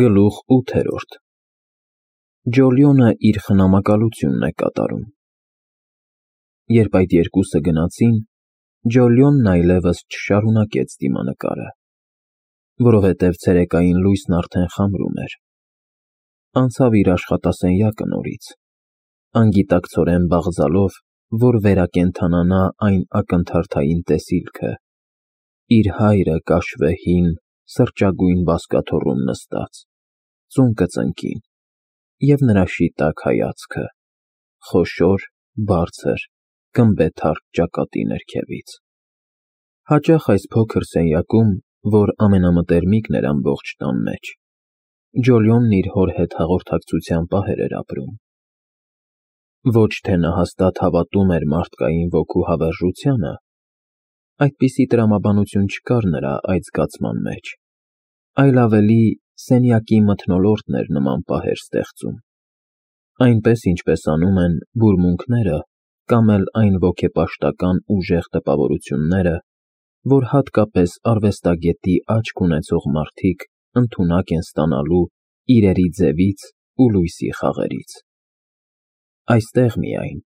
Գլուխ 8 Ջոլիոնը իր խնամակալությունն է կատարում։ Երբ այդ երկուսը գնացին, Ջոլիոնն այլևս չշարունակեց դիմանկարը, որովհետև ցերեկային լույսն արդեն խամրում էր։ Անցավ իր աշխատասենյակը նորից, անգիտակցորեն բաղձալով, որ վերակենդանանա այն ակնթարթային տեսիլքը, իր հայրը կաշվեհին, սրճագույն բազկաթոռում նստած, ծունկը ծնկին, և նրա շիտակ հայացքը, խոշոր, բարձր, գմբեթարկ ճակատի ներքևից։ Հաճախ այս փոքր սենյակում, որ ամենամտերմիկն էր ամբողջ տան մեջ, Ջոլիոնն իր հոր հետ հաղորդակցության պահեր էր ապրում։ Ոչ թե նա հաստատ հավատում էր մարդկային ոգու հավերժությանը, այդպիսի տրամաբանություն չկար նրա այդ զգացման մեջ, այլ ավելի սենյակի մթնոլորտն էր նման պահեր ստեղծում, այնպես ինչպես անում են բուրմունքները կամ էլ այն ոգեպաշտական ուժեղ տպավորությունները, որ հատկապես արվեստագետի աչք ունեցող մարդիկ ընդունակ են ստանալու իրերի ձևից ու լույսի խաղերից։ Այստեղ միայն,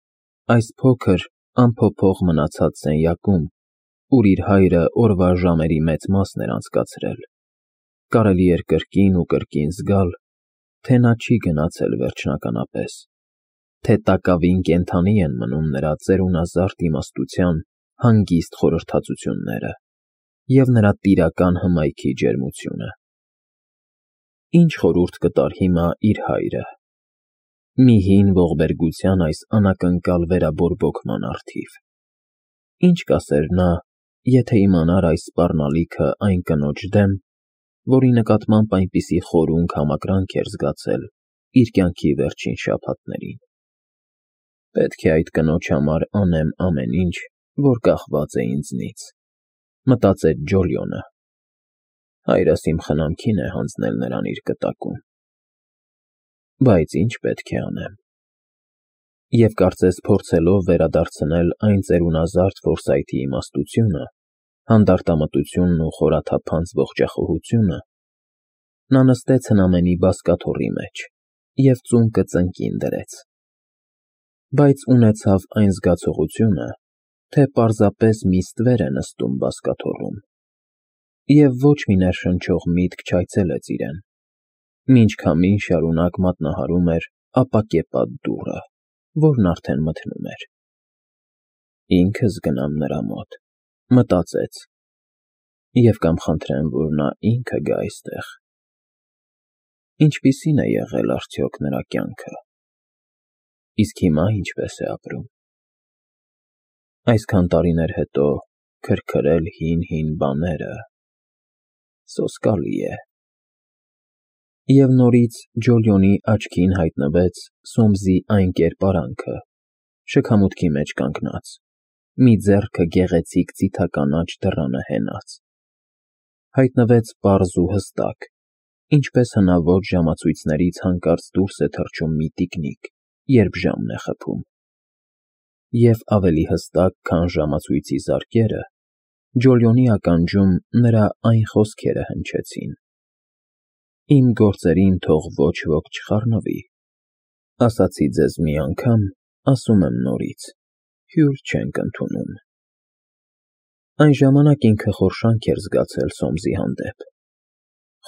այս փոքր, անփոփոխ մնացած սենյակում, ուր իր հայրը օրվա ժամերի մեծ մասն էր անցկացրել, կարելի էր կրկին ու կրկին զգալ, թե նա չի գնացել վերջնականապես, թե տակավին կենդանի են մնում նրա ծերունազարդ իմաստության հանգիստ խորհրդածությունները և նրա տիրական հմայքի ջերմությունը։ Ինչ խորհուրդ կտար հիմա իր հայրը, մի հին ողբերգության այս անակնկալ վերաբորբոքման առթիվ։ Ինչ կասեր նա, եթե իմանար այս սպառնալիքը այն կնոջ դեմ, որի նկատմամբ այնպիսի խորունկ համակրանք էր զգացել իր կյանքի վերջին շաբաթներին։ Պետք է այդ կնոջ համար անեմ ամեն ինչ, որ կախված է ինձնից, մտածեց Ջոլիոնը։ Հայրս իմ խնամքին է հանձնել նրան իր կտակում։ Բայց ինչ պետք է անեմ։ Եվ կարծես փորձելով վերադարձնել այն ծերունազարդ Ֆորսայթի իմաստությունը, հանդարտամտությունն ու խորաթափանց ողջախոհությունը, նա նստեց հնամենի բազկաթոռի մեջ և ծունկը ծնկին դրեց։ Բայց ունեցավ այն զգացողությունը, թե պարզապես մի ստվեր է նստում բազկաթոռում, և ոչ մի ներշնչող միտք չայցելեց իրեն, մինչ քամին շարունակ մատնահարում էր ապակեպատ դուռը, որն արդեն մթնում էր։ Ինքս գնամ նրա մոտ, մտածեց, և կամ խնդրեմ, որ նա ինքը գա այստեղ։ Ինչպիսի՞ն է եղել արդյոք նրա կյանքը, իսկ հիմա ինչպես է ապրում։ Այսքան տարիներ հետո քրքրել հին բաները, սոսկալի է։ Եվ նորից Ջոլիոնի աչքին հայտնվեց Սոմսի այն կերպարանքը, շքամուտքի մեջ կանգնած, մի ձեռքը գեղեցիկ ձիթականաչ դռանը հենած։ Հայտնվեց պարզ ու հստակ, ինչպես հնաոճ ժամացույցներից հանկարծ դուրս է թռչում մի տիկնիկ, երբ ժամն է խփում։ Եվ ավելի հստակ, քան ժամացույցի զարկերը, Ջոլիոնի ականջում նրա այն խոսքերը հնչեցին. «Իմ գործերին թող ոչ ոք չխառնվի, ասացի ձեզ մի անգամ, ասում եմ նորից, հյուր չենք ընդունում»։ Այն ժամանակ ինքը խորշանք էր զգացել Սոմսի հանդեպ,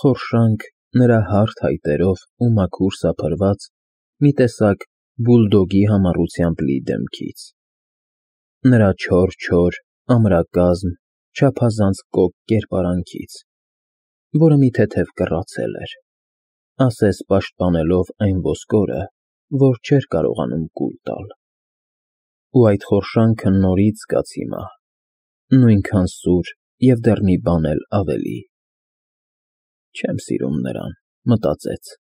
խորշանք նրա հարթ հայտերով ու մաքուր սափրված մի տեսակ բուլդոգի համառությամբ լի դեմքից, նրա չոր, ամրակազմ, չափազանց կոկ կերպարանքից, որը մի թեթև կռացել էր, ասես պաշտպանելով այն ոսկորը, որ չէր կարողանում կուլ տալ։ Ու այդ խորշանքը նորից զգաց հիմա, նույնքան սուր և դեռ մի բան էլ ավելի։ Չեմ սիրում նրան, մտածեց,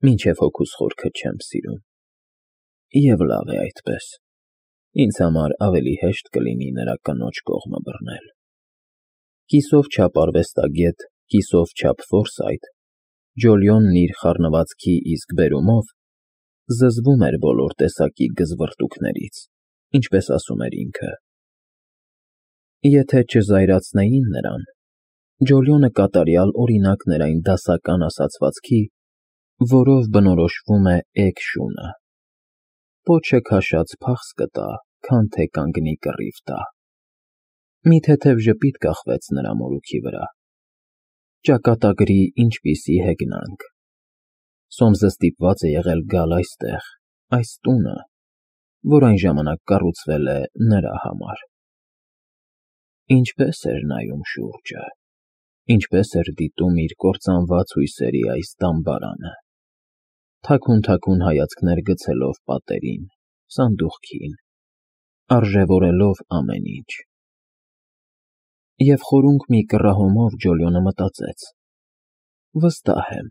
մինչև հոգուս խորքը չեմ սիրում։ Եվ լավ է այդպես, ինձ համար ավելի հեշտ կլինի նրա կնոջ կողմը բռնել։ Կիսով չափ արվեստագետ, կիսով չափ Ֆորսայթ, Ջոլիոնն իր խառնվածքի իսկ բերումով զզվում էր բոլոր տեսակի գզվռտուքներից, ինչպես ասում էր ինքը։ Եթե չզայրացնեին նրան, Ջոլիոնը կատարյալ օրինակն էր այն դասական ասացվածքի, որով բնորոշվում է էգ շունը. պոչը քաշած փախս կտա, քան թե կանգնի կռիվ տա։ Մի թեթև ժպիտ կախվեց նրա մորուքի վրա։ Ճակատագրի ինչպիսի հեգնանք։ Սոմսը ստիպված է եղել գալ այստեղ, այս տունը, որ այն ժամանակ կառուցվել է նրա համար։ Ինչպես էր նայում շուրջը, ինչպես էր դիտում իր կործանված հույսերի այս դամբարանը, թաքուն հայացքներ գցելով պատերին, սանդուղքին, արժևորելով ամեն ինչ։ Եվ խորունկ մի կռահումով Ջոլիոնը մտածեց. վստահ եմ,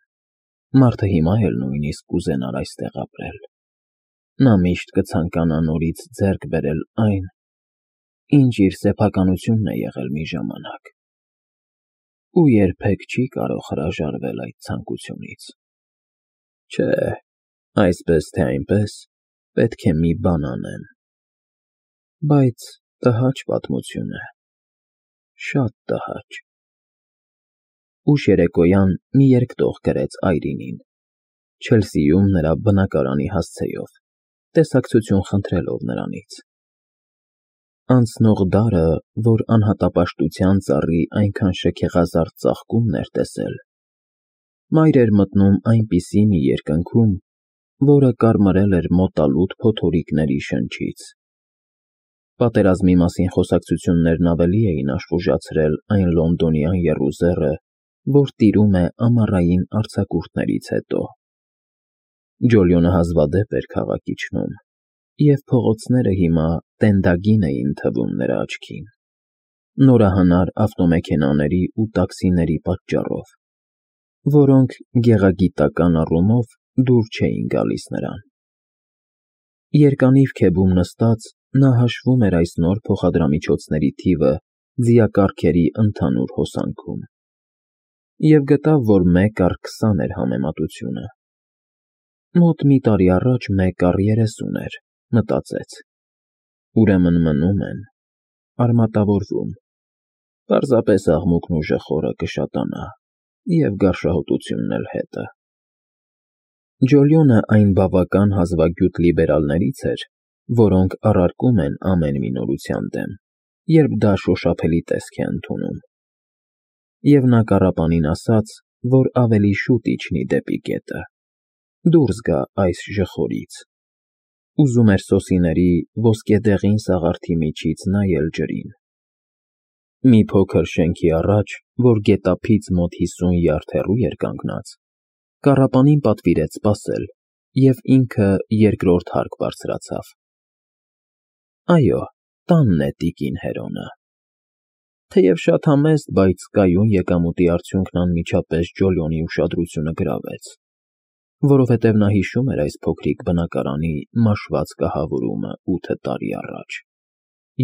մարդը հիմա էլ նույնիսկ կուզենար այստեղ ապրել։ Նա միշտ կցանկանա նորից ձեռք բերել այն, ինչ իր սեփականությունն է եղել մի ժամանակ, ու երբեք չի կարող հրաժարվել այդ ցանկությունից։ Չէ, այսպես թե այնպես, պետք է մի բան անեմ։ Բայց տհաճ պատմություն է, շատ տհաճ։ Ուշ երեկոյան մի երկտող գրեց Այրինին, Չելսիում նրա բնակարանի հասցեով, տեսակցություն խնդրելով նրանից։ Անցնող դարը, որ անհատապաշտության ծառի այնքան շքեղազարդ ծաղկումն էր տեսել, մայր էր մտնում այնպիսի մի երկնքում, որը կարմրել էր մոտալուտ փոթորիկների շնչից։ Պատերազմի մասին խոսակցություններն ավելի էին աշխուժացրել այն լոնդոնյան եռուզեռը, որ տիրում է ամառային արձակուրդներից հետո։ Ջոլիոնը հազվադեպ էր քաղաք իջնում, և փողոցները հիմա տենդագին էին թվում նրա աչքին, նորահանար ավտոմեքենաների ու տաքսիների պատճառով, որոնք գեղագիտական առումով դուր չէին գալիս նրան։ Երկանիվ քեբում նստած նա հաշվում էր այս նոր փոխադրամիջոցների թիվը ձիակառքերի ընդհանուր հոսանքում և գտավ, որ 1/20 էր համեմատությունը։ Մոտ մի տարի առաջ 1/30 էր, մտածեց։ Ուրեմն մնում են, արմատավորվում, պարզապես աղմուկն ու ժխորը կշատանա, և գարշահոտությունն էլ հետը։ Ջոլիոնը այն բավական հազվագյուտ լիբերալներից էր, որոնք առարկում են ամեն մի նորության դեմ, երբ դա շոշափելի տեսք է ընդունում։ Եվ նա կառապանին ասաց, որ ավելի շուտ իջնի դեպի գետը, դուրս գա այս ժխորից։ Ուզում էր սոսիների ոսկեդեղին սաղարթի միջից նայել ջրին։ Մի փոքր շենքի առաջ, որ գետափից մոտ 50 յարդ հեռու էր կանգնած, կառապանին պատվիրեց սպասել, և ինքը երկրորդ հարկ բարձրացավ։ Այո, տանն է տիկին Հերոնը։ Թեև շատ համեստ, բայց կայուն եկամուտի արդյունքն անմիջապես Ջոլիոնի ուշադրությունը գրավեց, որովհետև նա հիշում էր այս փոքրիկ բնակարանի մաշված կահավորումը 8 տարի առաջ,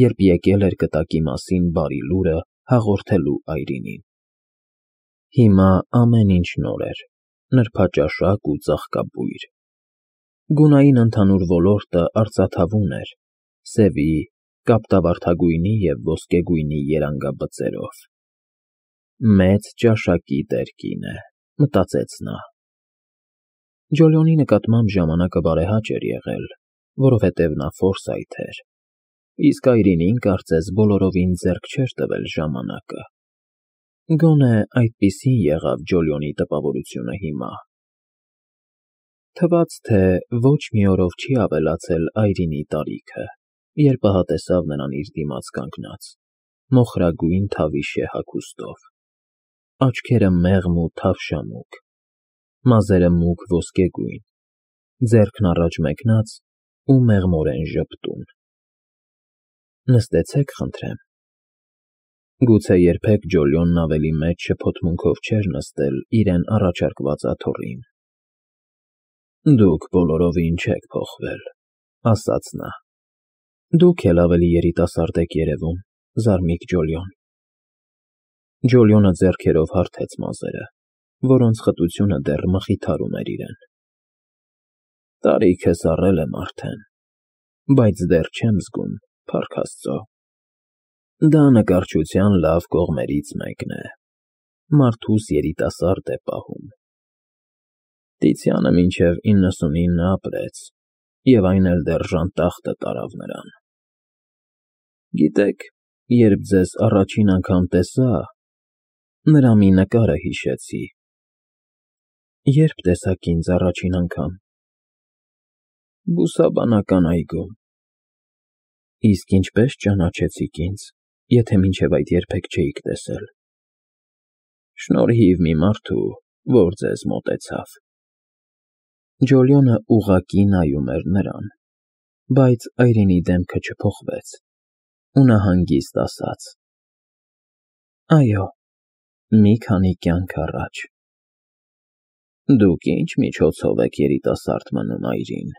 երբ եկել էր կտակի մասին բարի լուրը հաղորդելու Այրինին։ Հիմա ամեն ինչ նոր էր, նրբաճաշակ ու ծաղկաբույր։ Գունային ընդհանուր ոլորտը արծաթավուն էր, սևի, կապտավարդագույնի և ոսկեգույնի երանգաբծերով։ Մեծ ճաշակի տերկին է, մտածեց նա։ Ջոլիոնի նկատմամբ ժամանակը բարեհաճ էր եղել, որովհետև նա Ֆորսայթ էր, իսկ Այրինին կարծես բոլորովին ձեռք չէր տվել ժամանակը։ Գոնե այդպիսին եղավ Ջոլիոնի տպավորությունը հիմա։ Թվաց, թե ոչ մի օրով չի ավելացել Այրինի տարիքը, երբ ահա տեսավ նրան իր դիմաց կանգնած, մոխրագույն թավիշե հագուստով, աչքերը մեղմ ու թավշամուկ, մազերը մուգ ոսկեգույն, ձեռքն առաջ մեկնած ու մեղմորեն ժպտուն։ Նստեցեք, խնդրեմ։ Գուցե երբեք Ջոլիոնն ավելի մեծ շփոթմունքով չէր նստել իրեն առաջարկված աթոռին։ Դուք բոլորովին չեք փոխվել, ասաց նա։ Դուք էլ ավելի երիտասարդ եք երևում, զարմիկ Ջոլիոն։ Ջոլիոնը ձեռքերով հարթեց մազերը, որոնց խտությունը դեռ մխիթարում էր իրեն։ Տարիքս առել եմ արդեն, բայց դեռ չեմ զգում, փառք Աստծո։ Դա նկարչության լավ կողմերից մեկն է։ մարդուս երիտասարդ է պահում։ Տիցյանը մինչև 99 ապրեց, և այն էլ դեռ ժանտախտը տարավ նրան։ Գիտեք, երբ ձեզ առաջին անգամ տեսա, նրա մի նկարը հիշեցի։ Երբ տեսաք ինձ առաջին անգամ։ Բուսաբանական այգում։ Իսկ ինչպես ճանաչեցիք ինձ, եթե մինչև այդ երբեք չէիք տեսել։ Շնորհիվ մի մարդու, որ ձեզ մոտեցավ։ Ջոլիոնը ուղղակի նայում էր նրան, բայց այրինի դեմքը չփոխվեց, ու նա հանգիստ ասաց. Այո, մի քանի կյանք առաջ։ Դուք ինչ միջոցով եք երիտասարդ մնում, Այրին։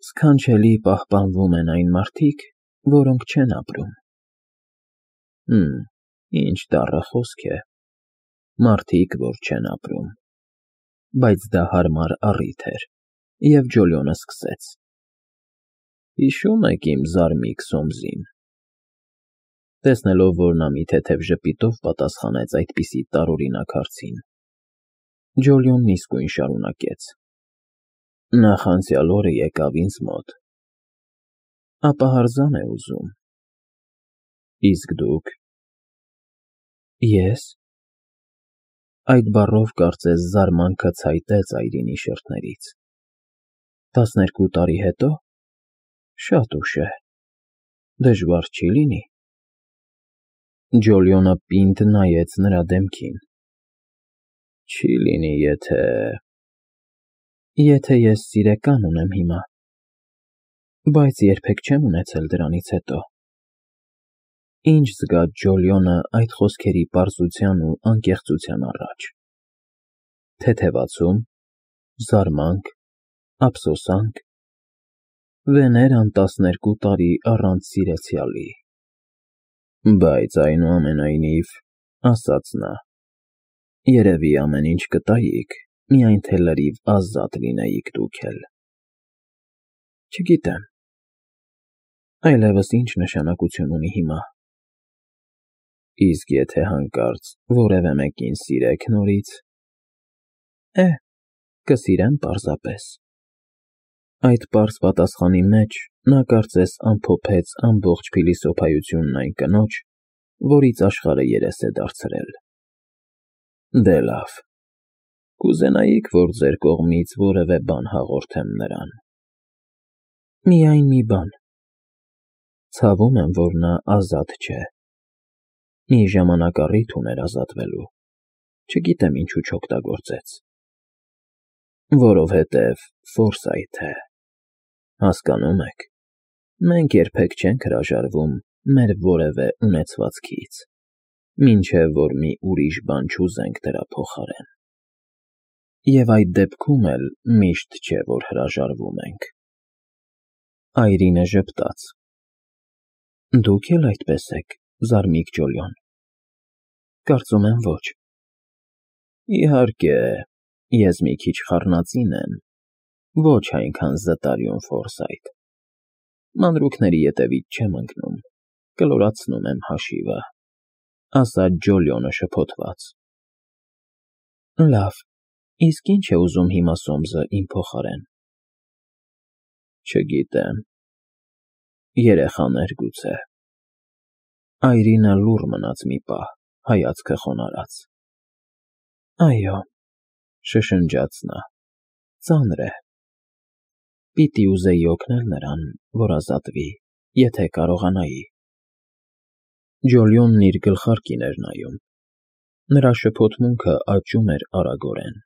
Սքանչելի պահպանվում են այն մարդիկ, որոնք չեն ապրում։ Ինչ դառը խոսք է, մարդիկ, որ չեն ապրում։ Բայց դա հարմար առիթ էր, և Ջոլիոնը սկսեց. Հիշում եք իմ զարմիկ Սոմսին։ Տեսնելով, որ նա մի թեթև ժպիտով պատասխանեց այդպիսի տարօրինակ հարցին, Ջոլիոնն իսկույն շարունակեց. Նախանցյալ օրը եկավ ինձ մոտ։ Ապա հրզան է ուզում։ Իսկ դուք։ Ես։ Այդ բառով կարծես զարմանքը ցայտեց Այրինի շրթներից։ 12 տարի հետո։ Շատ ուշ է։ Դժվար չի լինի։ Ջոլիոնը պինդ նայեց նրա դեմքին։ Չի լինի, Եթե ես սիրեկան ունեմ հիմա, բայց երբեք չեմ ունեցել դրանից հետո։ Ինչ զգաց Ջոլիոնը այդ խոսքերի պարզության ու անկեղծության առաջ։ Թեթևացում, զարմանք, ափսոսանք։ Վեներան 12 տարի առանց սիրեցյալի։ Բայց այնուամենայնիվ, ասաց նա, երևի ամեն ինչ կտայիք, միայն թե լրիվ ազատ լինեիք դուք էլ։ Չգիտեմ, այլևս ինչ նշանակություն ունի հիմա։ Իսկ եթե հանկարծ որևէ մեկին սիրեք նորից։ Կսիրեմ պարզապես։ Այդ պարզ պատասխանի մեջ նա կարծես ամփոփեց ամբողջ փիլիսոփայությունն այն կնոջ, որից աշխարհը երես է դարձրել։ Դե լավ, կուզենայիք, որ ձեր կողմից որևէ բան հաղորդեմ նրան։ Միայն մի բան։ Ցավում եմ, որ նա ազատ չէ։ Մի ժամանակառիթ ուներ ազատվելու, չգիտեմ ինչու չօգտագործեց։ Որովհետև Ֆորսայթ է։ Հասկանում եք, մենք երբեք չենք հրաժարվում մեր որևէ ունեցվածքից, մինչև որ մի ուրիշ բան չուզենք դրա փոխարեն։ Եվ այդ դեպքում էլ միշտ չէ, որ հրաժարվում ենք։ Այրինը ժպտաց։ Դուք էլ այդպես եք, զարմիկ Ջոլիոն։ Կարծում եմ ոչ։ Իհարկե, ես մի քիչ խառնածին եմ, ոչ այնքան զտարյուն Ֆորսայթ։ Մանրուքների ետևից չեմ ընկնում, կլորացնում եմ հաշիվը, ասաց Ջոլիոնը շփոթված։ Լավ, իսկ ինչ է ուզում հիմա Սոմսը իմ փոխարեն։ Չգիտեմ։ Երեխաներ գուցե։ Այրինը լուռ մնաց մի պահ, հայացքը խոնարհած։ Այո, շշնջաց նա, ծանր է։ Պիտի ուզեի օգնել նրան, որ ազատվի, եթե կարողանայի։ Ջոլիոնն իր գլխարկին էր նայում։ Նրա շփոթմունքը աճում էր արագորեն։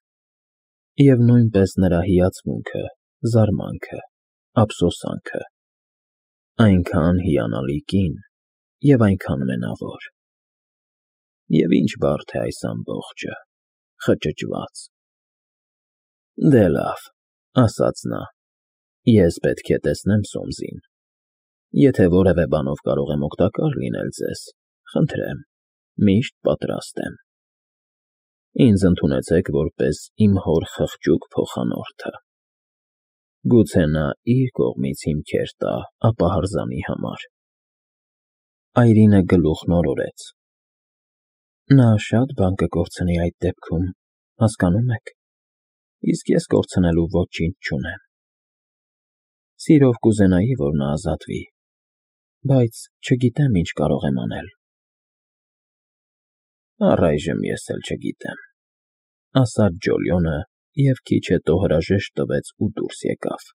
Եվ նույնպես նրա հիացմունքը, զարմանքը, ափսոսանքը։ Այնքան հիանալի կին և այնքան մենավոր։ Եվ ինչ բարդ է այս ամբողջը, խճճված։ Դե լավ, ասաց նա, ես պետք է տեսնեմ Սոմսին։ Եթե որևէ բանով կարող եմ օգտակար լինել ձեզ, խնդրեմ, միշտ պատրաստ եմ։ Ինձ ընդունեցեք որպես իմ հոր խղճուկ փոխանորդը։ Գուցե նա իր կողմից հիմքեր տա ապահարզանի համար։ Այրինը գլուխն օրորեց։ Նա շատ բան կկորցնի այդ դեպքում, հասկանո՞ւմ եք, իսկ ես կորցնելու ոչինչ չունեմ։ Սիրով կուզենայի, որ նա ազատվի, բայց չգիտեմ ինչ կարող եմ անել։ Առայժմ ես էլ չգիտեմ, ասաց Ջոլիոնը և քիչ հետո հրաժեշտ տվեց ու դուրս եկավ։